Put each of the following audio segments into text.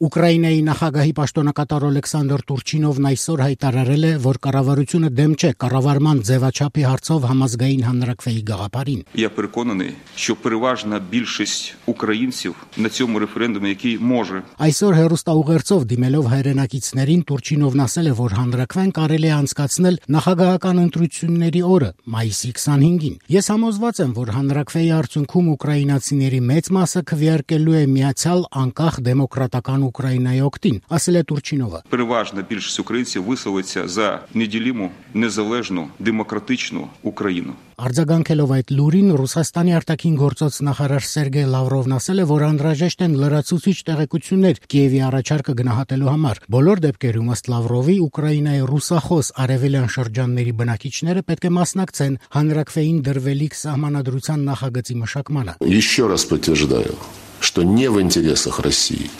Ուկրաինայի նախագահի պաշտոնակատար Օլեքսանդր Տուրչինովն այսօր հայտարարել է, որ կառավարությունը դեմ չէ կառավարման ձևաչափի հարցով համազգային հանրաքվեի գաղափարին. Я переконаний, що переважна більшість українців на цьому референдумі, який може. Այսօր հեռուստաուղերձով դիմելով հայրենակիցներին Տուրչինովն ասել է, որ հանրաքվեն կարելի է անցկացնել նախագահական ընտրությունների օրը, մայիսի 25-ին. Ես համոզված եմ, որ հանրաքվեի արդյունքում ուկրաինացիների մեծ մասը քվեարկելու է միացյալ անկախ դեմոկրատական Українայի օգտին, ասել է Турчинովը. Переважна більшість українців висловиться за неділіму, незалежну, демократичну Україну. Արձագանքելով այդ լուրին Ռուսաստանի արտաքին գործոց նախարար Սերգեյ Լավրովն ասել է, որ անհրաժեշտ են լրացուցիչ տեղեկություններ Կիևի առաջարկը գնահատելու համար։ Բոլոր դեպքերում ըստ Լավրովի Ուկրաինայի ռուսախոս արևելյան շրջանների բնակիչները պետք է մասնակցեն հանրաքվեին դրվելիք սահմանադրության նախագծի մշակմանը։ Еще раз подтверждаю, что не в интересах России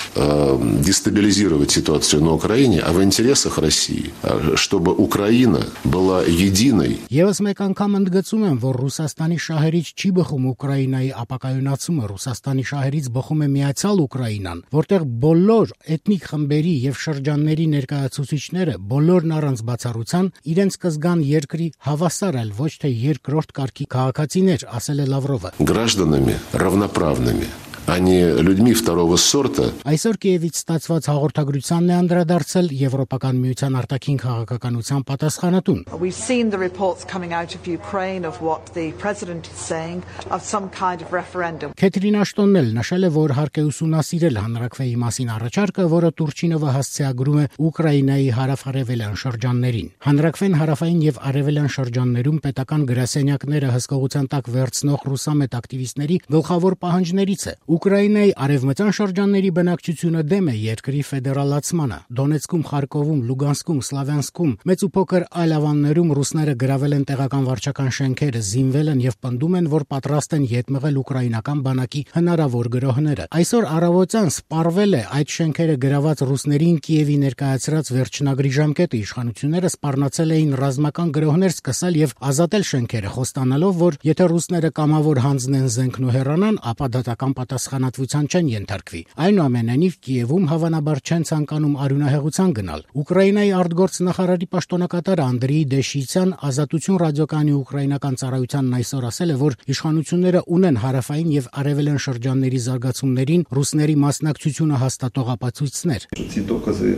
дестабилизировать ситуацию на Украине, а в интересах России, чтобы Украина была единой. Եվս մեկ անգամ ընդգծում եմ, որ Ռուսաստանի շահերից չի բխում Ուկրաինայի ապակայունացումը, Ռուսաստանի շահերից բխում է միացյալ Ուկրաինան, որտեղ բոլոր էթնիկ խմբերի եւ շրջանների ներկայացուցիչները բոլորն առանց բացառության իրենց կզգան երկրի հավասար, այլ ոչ թե երկրորդ կարգի քաղաքացիներ, ասել է Լավրովը։ Гражданами равноправными, а не людьми второго сорта. Այսօր Կիևից ստացված հաղորդագրությանն է անդրադարձել Եվրոպական միության արտաքին քաղաքականության պատասխանատուն։ We've seen the reports coming out of Ukraine of what the president is saying of some kind of referendum. Քեթրին Աշտոնն էլ նշել է, որ հարկ է ուսումնասիրել հանրաքվեի մասին առաջարկը, որը Տուրչինովը հասցեագրում է Ուկրաինայի հարավ-արևելյան շրջաններին։ Հանրաքվեն հարավային եւ արևելյան շրջաններում պետական գրասենյակները հսկողության տակ վերցնող ռուսամետ ակտիվիստների գլխավոր պահանջներից է։ Ուկրաինայի արևմտյան շրջանների բնակչությունը դեմ է երկրի ֆեդերալացմանը։ Դոնեցկում, Խարկովում, Լուգանսկում, Սլավյանսկում, մեծ ու փոքր այլ ավաններում ռուսները գրավել են տեղական վարչական շենքերը, զինվել են եւ պնդում են, որ պատրաստ են ետ մղել ուկրաինական բանակի հնարավոր գրոհները։ Այսօր առավոտյան սպառվել է այդ շենքերը գրաված ռուսներին Կիևի ներկայացրած վերջնագրի ժամկետը։ Իշխանությունները սպառնացել էին ռազմական գրոհներ սկսել եւ ազատել շենքերը, խոստանալով, որ եթե ռուսները կամավոր հանձնեն զենքն ու հեռանան, ապա դատական պատասխանատվության չեն ենթարկվի։ Այնուամենայնիվ Կիևում հավանաբար չեն ցանկանում արյունահեղության գնալ։ Ուկրաինայի արտգործ նախարարի պաշտոնակատար Անդրեյ Դեշիցյան Ազատություն ռադիոկայանի ուկրաինական ծառայությանն այսօր ասել է, որ իշխանությունները ունեն հարավային եւ արևելյան շրջանների զարգացումներին ռուսների մասնակցությունը հաստատող ապացույցներ։ Ці докази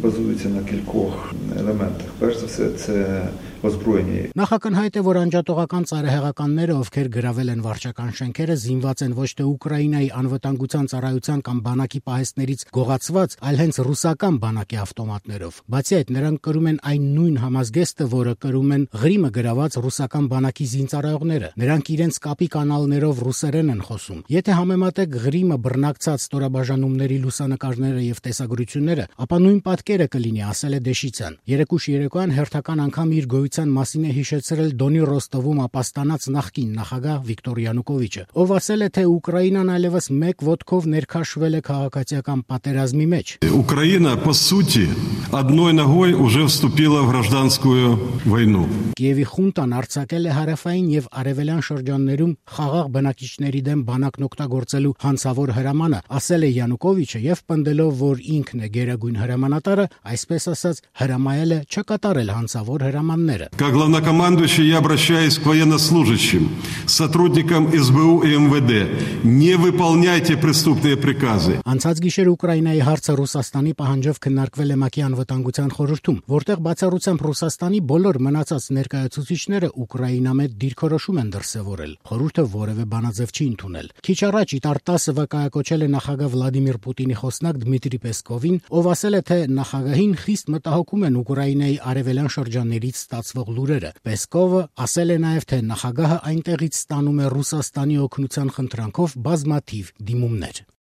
базуються на кількох елементах. Перш за все, це озброєння. Նախակնհայտ է, որ անջատողական ծառահեղականները, ովքեր գրավել են վարչական շենքերը, զինված են ոչ թե Ուկրաինայի անվտանգության ծառայության կամ բանակի պահեստներից գողացված, այլ հենց ռուսական բանակի ավտոմատներով։ Բացի այդ, նրանք կրում են այն նույն համազգեստը, որը կրում են Ղրիմը գրաված ռուսական բանակի զինծառայողները։ Նրանք իրենց կապի կանալներով ռուսերեն են խոսում։ Եթե համեմատեք Ղրիմը բռնակցած ստորաբաժանումների լուսանկարները եւ տեսագրությունները, ապա նույն պատկերը կլինի, ասել է Դեշիցյան։ Երեկուշ երեկոյան հերթական անգամ իր գոյության մասին է հիշեցրել Դոնի Ռոստովում ապաստանած նախկին նախագահ Վիկտոր Յանուկովիչը, ով ասել է, թե Ուկրաինան այլևս մեկ ոտքով ներքաշվել է քաղաքացիական պատերազմի մեջ։ Украина, по сути, одной ногой уже вступила в гражданскую войну. Կիևի խունտան արձակել է հարավային եւ արևելյան շրջաններում խաղաղ բնակիչների դեմ բանակն օգտագործելու հանցավոր հրամանը, ասել է Յանուկովիչը եւ պնդելով, որ ինքն է գերագույն հրամանատարը, այսպես ասած, հրամայել է չկատարել հանցավոր հրամանները։ Как главнокомандующий я обращаюсь к военнослужащим, сотрудникам СБУ и МВД. Не выполняйте преступные приказы. Անցած գիշեր Ուկրաինայի հարցը Ռուսաստանի պահանջով քննարկվել է ՄԱԿ-ի անվտանգության խորհրդում, որտեղ բացառությամբ Ռուսաստանի բոլոր մնացած ներկայացուցիչները ուկրաինամետ դիրքորոշում են դրսևորել։ Խորհուրդը որևէ բանաձև չի ընդունել։ Քիչ առաջ Իտարտասը վկայակոչել է նախագահ Վլադիմիր Պուտինի խոսնակ Դմիտրի Պեսկովին, ով ասել է, թե նախագահին խիստ մտահոգում են Ուկրաինայի արևելյան շրջաններից ստացվող լուրերը։ Պեսկովը ասել է նաև, թե նախագահը այնտեղից ստանում է Ռուսաստանի օգնության խնդրանքով բազմաթիվ դիմումներ։